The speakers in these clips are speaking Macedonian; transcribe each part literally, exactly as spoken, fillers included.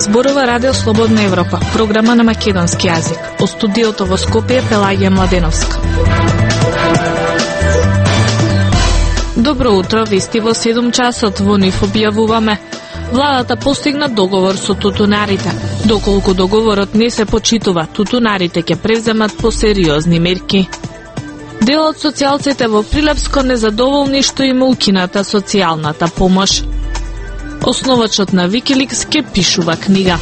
Зборува Радио Слободна Европа, програма на македонски јазик. Од студиото во Скопје Пелагија Младеновска. Добро утро, вести во седум часот во НИФ објавуваме. Владата постигна договор со тутунарите. Доколку договорот не се почитува, тутунарите ќе превземат посериозни мерки. Дел од социјалците во Прилепско незадоволни што им укината социјалната помош. Основачот на Wikileaks ќе пишува книга.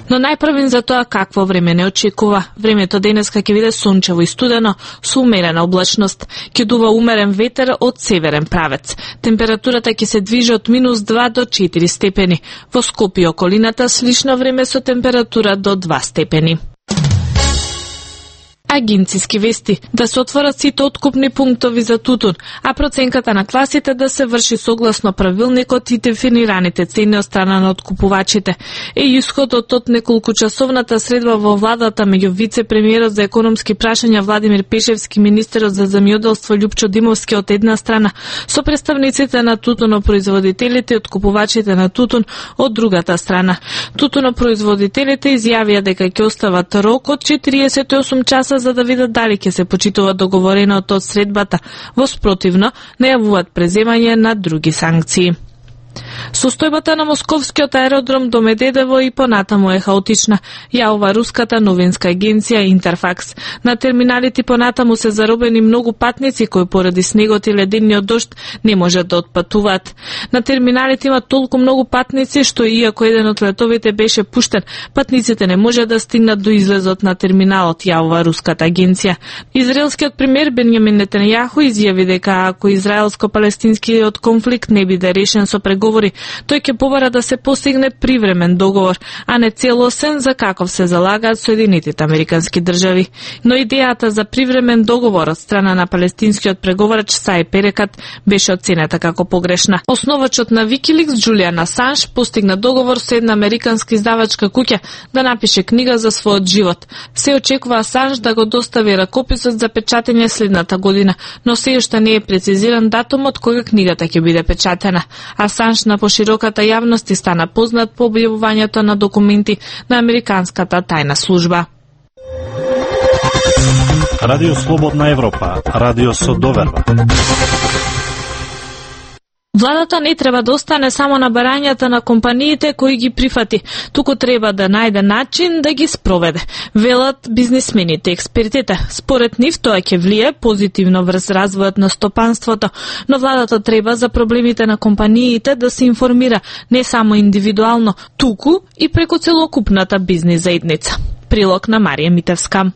Но најпрвин за тоа какво време не очекува. Времето денеска ќе биде сончево и студено, со умерена облачност. Ќе дува умерен ветер од северен правец. Температурата ќе се движи од минус два до четири степени. Во Скопје и околината слично време со температура до два степени. Агенциски вести, да се отворат сите откупни пунктови за тутун, а проценката на класите да се врши согласно правилникот и дефинираните цени од страна на откупувачите. Е исходот од неколку часовната средба во владата меѓу вице-премиерот за економски прашања Владимир Пешевски, министерот за земјоделство Љупчо Димовски од една страна, со представниците на тутунопроизводителите и откупувачите на тутун од другата страна. Тутунопроизводителите изјавија дека ќе остават рок од четириесет и осум часа за да видат дали ќе се почитува договореното од средбата. Во спротивно, најавуваат преземање на други санкции. Состојбата на московскиот аеродром до Медедево и понатаму е хаотична, јавува руската новинска агенција Интерфакс. На терминалите понатаму се заробени многу патници кои поради снегот и ледениот дожд не можат да отпатуваат. На терминалите има толку многу патници што иако еден од летовите беше пуштен, патниците не можат да стигнат до излезот на терминалот, јавува руската агенција. Израелскиот премиер Бенјамин Нетањаху изјави дека ако израелско-палестинскиот конфликт не биде решен со преговори, тој ќе побара да се постигне привремен договор, а не целосен за каков се залагаат Соединетите Американски држави. Но идејата за привремен договор од страна на палестинскиот преговарач Саи Перекат беше оценета како погрешна. Основачот на Wikileaks Џулијан Асанж постигна договор со една американска издавачка куќа да напише книга за својот живот. Се очекува Асанж да го достави ракописот за печатење следната година, но се уште не е прецизиран датумот кога книгата ќе биде печатена. Асанж на пошироката јавност и стана познат по објавувањето на документи на американската тајна служба. Радио Слободна Европа, радио со доверба. Владата не треба да остане само на барањата на компаниите кои ги прифати, туку треба да најде начин да ги спроведе, велат бизнисмените експертите. Според нив тоа ќе влие позитивно врз развојот на стопанството, но владата треба за проблемите на компаниите да се информира не само индивидуално, туку и преку целокупната бизнис заедница. Прилог на Марија Митевска.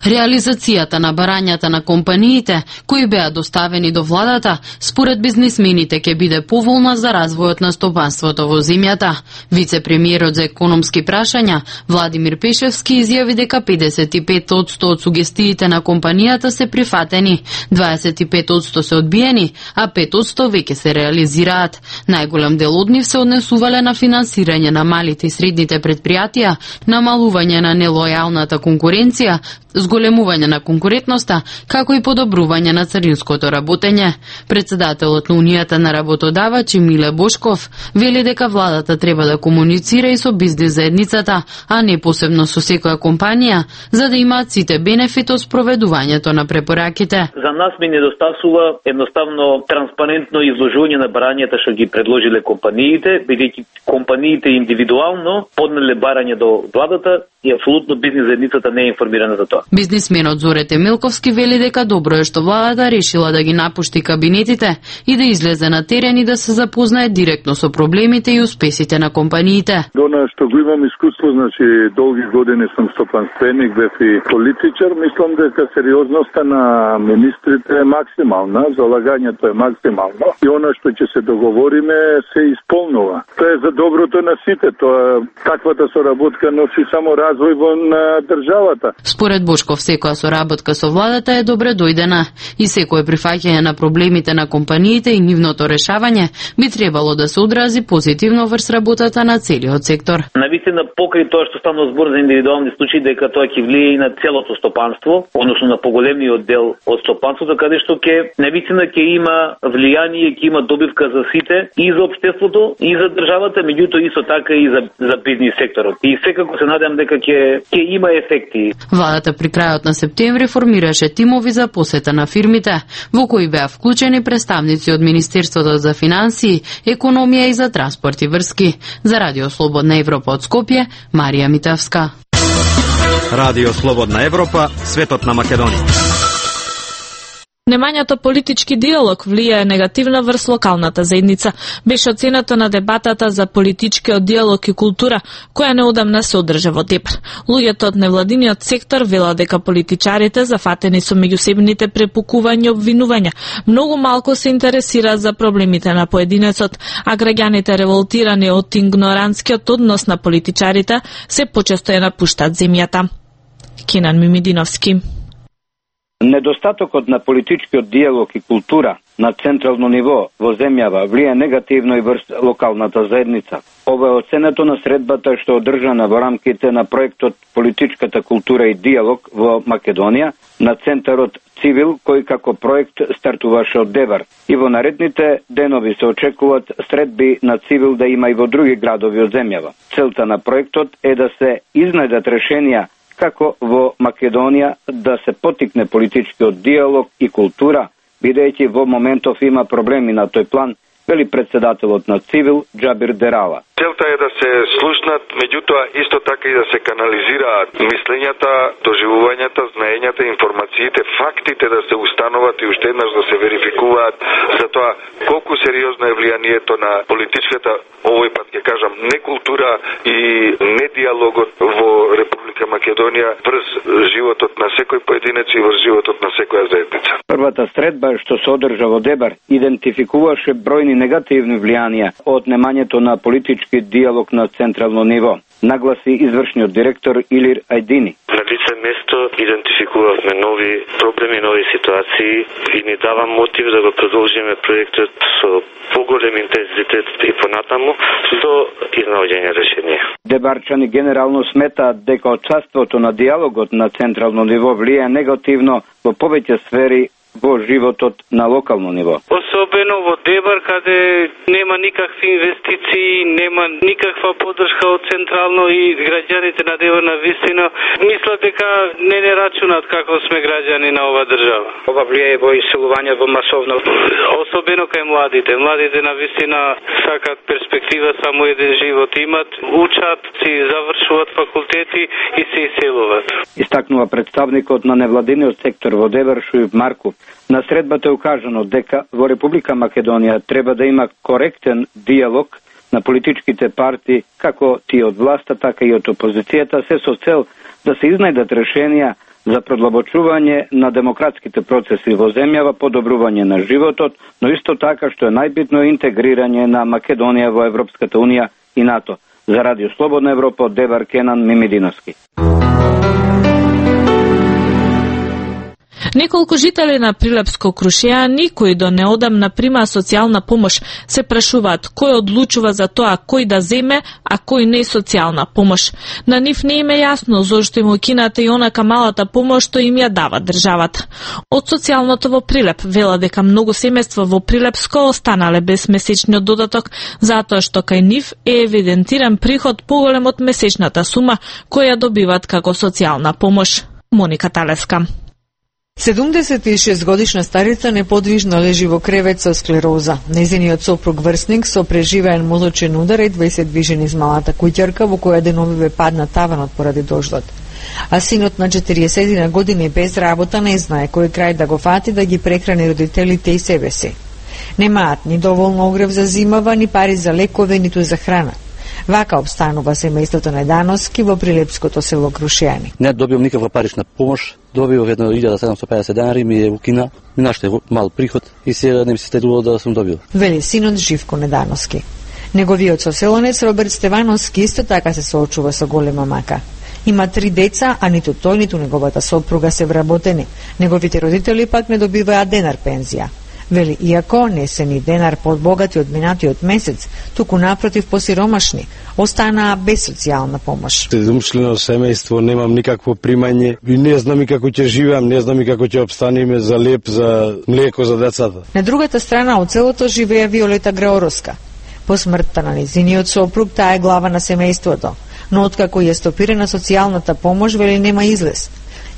Реализацијата на барањата на компаниите, кои беа доставени до владата, според бизнисмените ќе биде поволна за развојот на стопанството во земјата. Вице-премиерот за економски прашања Владимир Пешевски изјави дека педесет и пет одсто од сугестиите на компанијата се прифатени, дваесет и пет одсто се одбиени, а пет одсто веќе се реализираат. Најголем дел од нив се однесувале на финансирање на малите и средните предпријатија, намалување на нелојалната конкуренција, зголемување на конкурентноста, како и подобрување на царинското работење. Председателот на Унијата на работодавачи Миле Бошков вели дека владата треба да комуницира и со бизнис заедницата, а не посебно со секоја компанија, за да имаат сите бенефити од спроведувањето на препораките. За нас ми недостасува едноставно транспарентно изложување на барањата што ги предложиле компаниите, бидејќи компаниите индивидуално поднеле барање до владата и апсолутно бизнис заедницата не е информирана за тоа. Бизнисменот Зоре Темелковски вели дека добро е што владата решила да ги напушти кабинетите и да излезе на терен и да се запознае директно со проблемите и успесите на компаниите. Дона што го имам искуство, значи долги години сум стопанственик, бев и политичар, мислам дека сериозноста на министрите е максимална, залагањето е максимално и она што ќе се договориме се исполнува. Тоа е за доброто на сите, тоа таквата соработка носи само развој во на државата. Според Бошко Трошков секоја соработка со владата е добре дојдена и секое прифаќање на проблемите на компаниите и нивното решавање би требало да се одрази позитивно врз работата на целиот сектор. Навистина, покрај тоа што станува збор за индивидуални случаи, дека тоа ќе влие и на целото стопанство, односно на поголемиот дел од стопанството, каде што ќе навистина ќе има влијание, ќе има добивка за сите и за општеството и за државата, меѓутоа исто така и за за бизнис секторот. И секако се надевам дека ќе ќе има ефекти. Владата при крајот на септември формираше тимови за посета на фирмите, во кои беа вклучени представници од Министерството за финансии, економија и за транспорт и врски. За Радио Слободна Европа од Скопје, Марија Митевска. Радио Слободна Европа, светот на Македонија. Немањето политички диалог влијае негативно врз локалната заедница, беше оцената на дебатата за политичкиот диалог и култура, која неодамна се одржа во Дебар. Луѓето од невладиниот сектор велат дека политичарите, зафатени со меѓусебните препукувања и обвинувања, многу малку се интересираат за проблемите на поединецот, а граѓаните револтирани од игноранскиот однос на политичарите се почесто ја напуштат земјата. Кенан Мимидиновски. Недостатокот на политичкиот диалог и култура на централно ниво во земјава влие негативно и врз локалната заедница. Ова е оценето на средбата што одржана во рамките на проектот Политичката култура и диалог во Македонија на Центарот Цивил, кој како проект стартуваше од Дебар. И во наредните денови се очекуваат средби на Цивил да има и во други градови од земјава. Целта на проектот е да се изнајдат решенија како во Македонија да се потикне политичкиот диалог и култура, бидејќи во моментов има проблеми на тој план, вели председателот на Цивил Џабир Дерала. Целта е да се слушнат, меѓутоа исто така и да се канализираат мислењата, доживувањата, знаењата, информациите, фактите да се установат и уште еднаш да се верификуваат за тоа колку сериозно е влијанието на политичката, овој пат ќе кажам, не култура и не диалогот во Република Македонија врз животот на секој поединец и врз животот на секоја заедница. Првата средба што се одржа во Дебар идентификуваше бројни негативни влијанија од немањето на политички диалог на централно ниво, нагласи извршниот директор Илир Ајдини. На лице место идентификувавме нови проблеми, нови ситуации и ни дава мотив да го продолжиме проектот со поголем интензитет и понатаму до изнаоѓање решение. Дебарчани генерално сметаат дека отсутството на диалогот на централно ниво влијае негативно во повеќе сфери во животот на локално ниво. Особено во Дебар, каде нема никакви инвестиции, нема никаква поддршка од централно и граѓаните на Дебар на вистина мислат дека не не рачунат како сме граѓани на ова држава. Ова влијае во иселување во масовно. Особено кај младите. Младите на вистина сакат перспектива, само еден живот имат, учат, си завршуваат факултети и се иселуваат. Истакнува представникот на невладиниот сектор во Дебар Шујб Марков. На средбата е укажано дека во Република Македонија треба да има коректен диалог на политичките партии, како тие од власта, така и од опозицијата, се со цел да се изнајдат решенија за продлабочување на демократските процеси во земјава, подобрување на животот, но исто така што е најбитно интегрирање на Македонија во Европската унија и НАТО. За Радио Слободна Европа од Дебар Кенан Мимидиновски. Неколку жители на Прилепско Крушејани, кои до неодамна примаа социјална помош, се прашуваат кој одлучува за тоа кој да земе, а кој не социјална помош. На нив не им е јасно зошто им укината и онака малата помош што им ја дава државата. Од социјалното во Прилеп вела дека многу семејства во Прилепско останале без месечниот додаток, затоа што кај нив е евидентиран приход поголем од месечната сума која добиваат како социјална помош. Моника Талеска. седумдесет и шест годишна старица неподвижно лежи во кревет со склероза. Незиниот сопруг врсник со преживеен мозочен удар едва и се движи низ малата куќарка во која деновиве падна таванот поради дождот. А синот на четириесет години без работа не знае кој крај да го фати да ги прехрани родителите и себе си. Немаат ни доволно огрев за зимава, ни пари за лекове, ниту за храна. Вака обстанува семејството Недановски во Прилепското село Крушејани. Не добивам никаква парична помош, добивав едно илјада седумстотини и педесет денари, ми е укина, ми наште мал приход и сега не ми се следувало да сум добил. Вели синот Живко Недановски. Неговиот соселонец Роберт Стевановски исто така се соочува со голема мака. Има три деца, а ниту тој, ниту неговата сопруга се вработени. Неговите родители пак не добиваат денар пензија. Вели, иако не се ни денар подбогати од минатиот месец, туку напротив посиромашни, останаа без социјална помош. Седумчлено семејство, немам никакво примање и не знам и како ќе живеам, не знам и како ќе обстанеме за леп, за млеко за децата. На другата страна од селото живее Виолета Граороска. По смртта на незиниот сопруг, таа е глава на семејството, но откако ја стопирана социјалната помош, вели нема излез.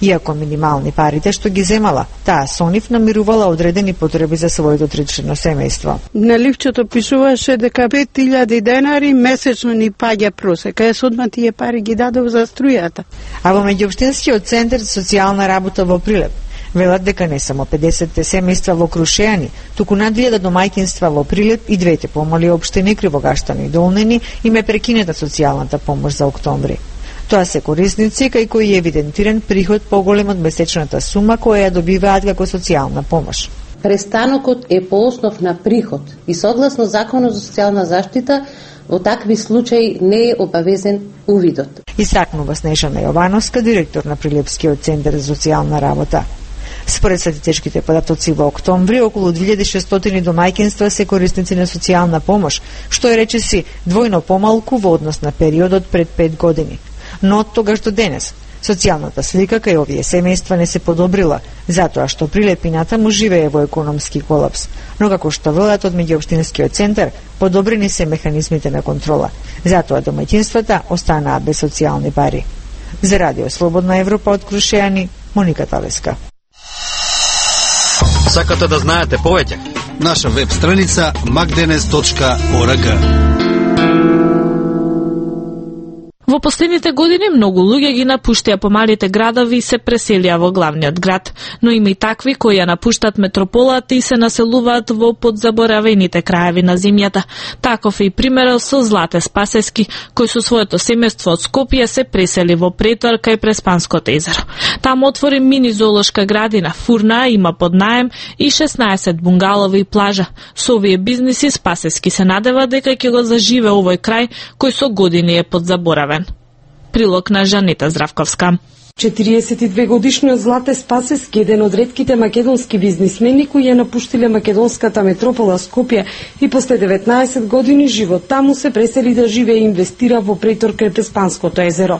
Иако минимални парите што ги земала, таа со нив намирувала одредени потреби за своето тричлено семејство. На ливчето пишуваше дека пет илјади денари месечно ни паѓа просека. Јас одма тие пари ги дадов за струјата. А во меѓуопштинскиот центар за социјална работа во Прилеп велат дека не само педесет семејства во Крушејани, туку над илјада домаќинства во Прилеп и двете помали општини Кривогаштани и Долнени им е прекинета социјалната помош за октомври. Тоа се корисници кај кои е евидентиран приход поголем од месечната сума која ја добиваат како социјална помош. Престанокот е по основ на приход и согласно Законот за социјална заштита во такви случаи не е обавезен увидот. Исакнува Снежана Јовановска, директор на Прилепскиот центар за социјална работа. Според статистичките податоци во октомври, околу две илјади и шестстотини домаќинства се корисници на социјална помош, што е речиси двојно помалку во однос на периодот пред пет години. Но од тогаш до денес, социјалната слика кај овие семејства не се подобрила, затоа што Прилепината му живее во економски колапс. Но како што велат од меѓуопштинскиот центар, подобрени се механизмите на контрола, затоа домаќинствата останаа без социјални пари. За Радио Слободна Европа од Крушејани, Моника Талеска. Сакате да знаете повеќе? Наша веб страница макденес точка орг. Во последните години многу луѓе ги напуштија помалите градови и се преселија во главниот град, но има и такви кои ја напуштат метрополата и се населуваат во подзаборавените краеви на земјата. Таков е и примерот со Злате Спасески, кој со своето семејство од Скопје се пресели во Претор кај Преспанското езеро. Таму отвори мини зоолошка градина, фурна, има под наем и шеснаесет бунгалови и плажа. Со овие бизниси Спасески се надева дека ќе го заживе овој крај кој со години е подзаборавен. Прилог на Жанита Здравковска. четириесет и две годишниот Злате Спасески, еден од ретките македонски бизнисмени кои ја напуштиле македонската метропола Скопје и после деветнаесет години живот таму се пресели да живее и инвестира во Претор крај Преспанското езеро.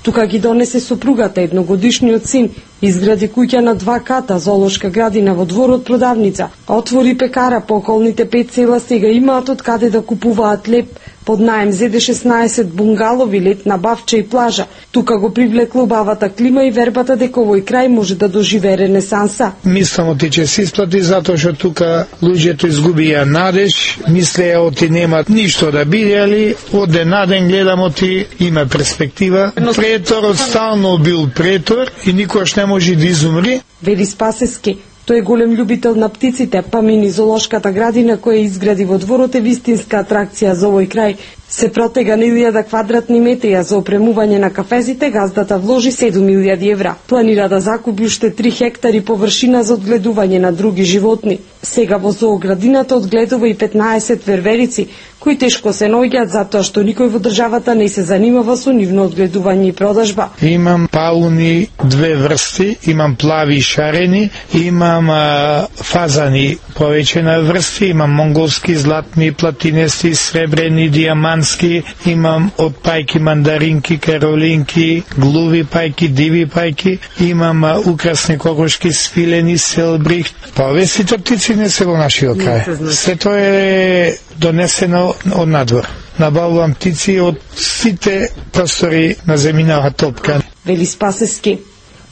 Тука ги донесе сопругата, едногодишниот син, изгради куќа на два ката, зоолошка градина во дворот продавница, отвори пекара по околните пет села, сега имаат од каде да купуваат леп, под наем зеде шеснаесет бунгалови, летна бавча и плажа. Тука го привлекла убавата клима и вербата дека овој крај може да доживее ренесанса. Мислам оти ќе се исплати затоа што тука луѓето изгубија надеж, мислеја оти немат ништо да бидели, од ден на ден гледам оти има перспектива. Преторот стално бил претор и никош не може да изумри. Вели Спасески. Тој е голем љубител на птиците, па мини зоолошката градина која изгради во дворот е вистинска атракција за овој крај. Се протега на илјада квадратни метри, а за опремување на кафезите газдата вложи седум илјади евра. Планира да закупи уште три хектари површина за одгледување на други животни. Сега во зооградината одгледува и петнаесет верверици, кои тешко се наоѓаат затоа што никој во државата не се занимава со нивно одгледување и продажба. Имам пауни две врсти, имам плави и шарени, имам а, фазани повеќе на врсти, имам монголски, златни, платинести, сребрени, диамански, имам од пајки мандаринки, каролинки, глуви пајки, диви пајки, имам а, украсни кокошки, свилени, селбрихт. Повесите птици не се во нашиот крај. Се тоа е донесено од надвор. Набавувам птици од сите простори на земјината топка. Вели Спасески.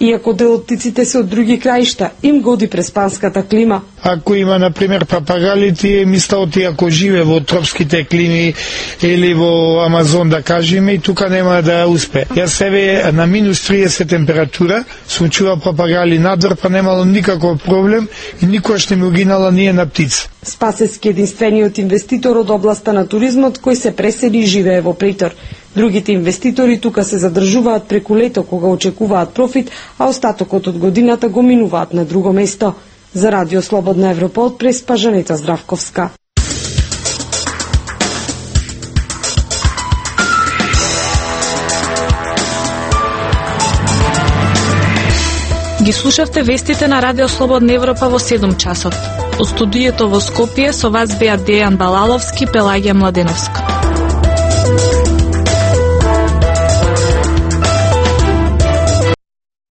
Иако дел од птиците се од други краишта, им годи преспанската клима. Ако има, например, папагали, тие мисла оти ако живе во тропските клими или во Амазон, да кажеме, и тука нема да успе. Јас себе на минус триесет температура сум чува папагали надвор, па немало никаков проблем и никош не ми угинала ние на птица. Спасески единствениот инвеститор од областа на туризмот кој се пресели и живее во Претор. Другите инвеститори тука се задржуваат преку лето кога очекуваат профит, а остатокот од годината го минуваат на друго место. За Радио Слободна Европа од Преспа, Жанета Здравковска. Ги слушавте вестите на Радио Слободна Европа во седум часот. Од студиото во Скопје со вас беа Дејан Балаловски, Пелагија Младеновска.